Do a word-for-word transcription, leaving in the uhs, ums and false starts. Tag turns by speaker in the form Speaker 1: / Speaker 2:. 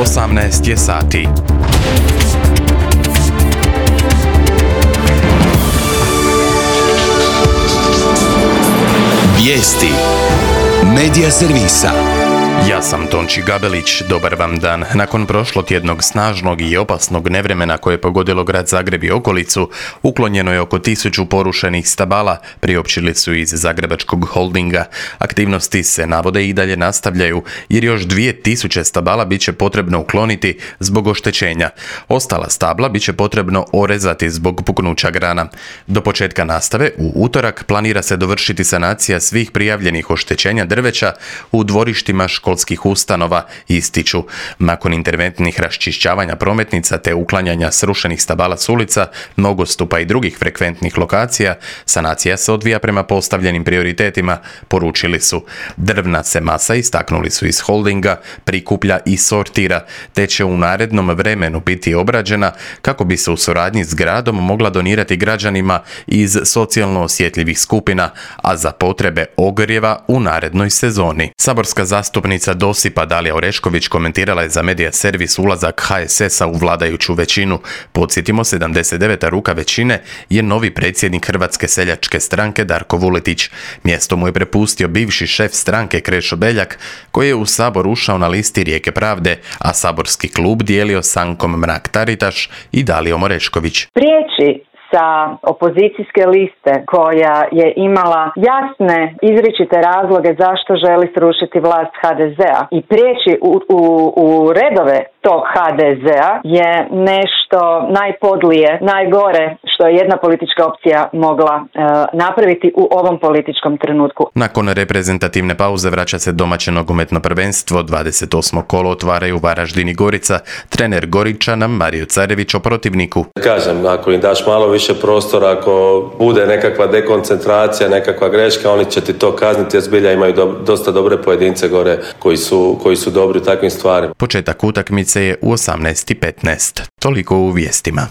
Speaker 1: osamnaest je sati.
Speaker 2: Vijesti Medija servisa.
Speaker 1: Ja sam Tonči Gabelić, dobar vam dan. Nakon prošlotjednog snažnog i opasnog nevremena koje je pogodilo grad Zagreb i okolicu, uklonjeno je oko tisuću porušenih stabala, priopćili su iz Zagrebačkog holdinga. Aktivnosti se navode i dalje nastavljaju, jer još dvije tisuće stabala bit će potrebno ukloniti zbog oštećenja. Ostala stabla bit će potrebno orezati zbog puknuća grana. Do početka nastave, u utorak, planira se dovršiti sanacija svih prijavljenih oštećenja drveća u dvorištima školskih ustanova, ističu. Nakon interventnih raščišćavanja prometnica te uklanjanja srušenih stabala s ulica, nogostupa i drugih frekventnih lokacija, sanacija se odvija prema postavljenim prioritetima, poručili su. Drvna se masa, istaknuli su iz holdinga, prikuplja i sortira, te će u narednom vremenu biti obrađena kako bi se u suradnji s gradom mogla donirati građanima iz socijalno osjetljivih skupina, a za potrebe ogrijeva u narednoj sezoni. Saborska zastupnica Dosipa Dalija Orešković komentirala je za Medija servis ulazak ha es esa u vladajuću većinu. Podsjetimo, sedamdeset deveta ruka većine je novi predsjednik Hrvatske seljačke stranke Darko Vuletić. Mjesto mu je prepustio bivši šef stranke Krešo Beljak, koji je u Sabor ušao na listi Rijeke pravde, a saborski klub dijelio s Ankom Mrak-Taritaš i Dalijom Orešković.
Speaker 3: Prijeći sa opozicijske liste koja je imala jasne izričite razloge zašto želi srušiti vlast ha de zea i prijeći u, u, u redove tog ha de zea je nešto najpodlije, najgore što je jedna politička opcija mogla e, napraviti u ovom političkom trenutku.
Speaker 1: Nakon reprezentativne pauze vraća se domaće nogometno prvenstvo. dvadeset osmo kolo otvaraju Varaždin i Gorica. Trener Goričana Mario Carević o protivniku.
Speaker 4: Kažem, ako im daš malo više prostora, ako bude nekakva dekoncentracija, nekakva greška, oni će ti to kazniti, jer zbilja imaju do, dosta dobre pojedince gore koji su, koji su dobri u takvim stvarima.
Speaker 1: Početak utakmice je u osamnaest i petnaest. Toliko u vijestima.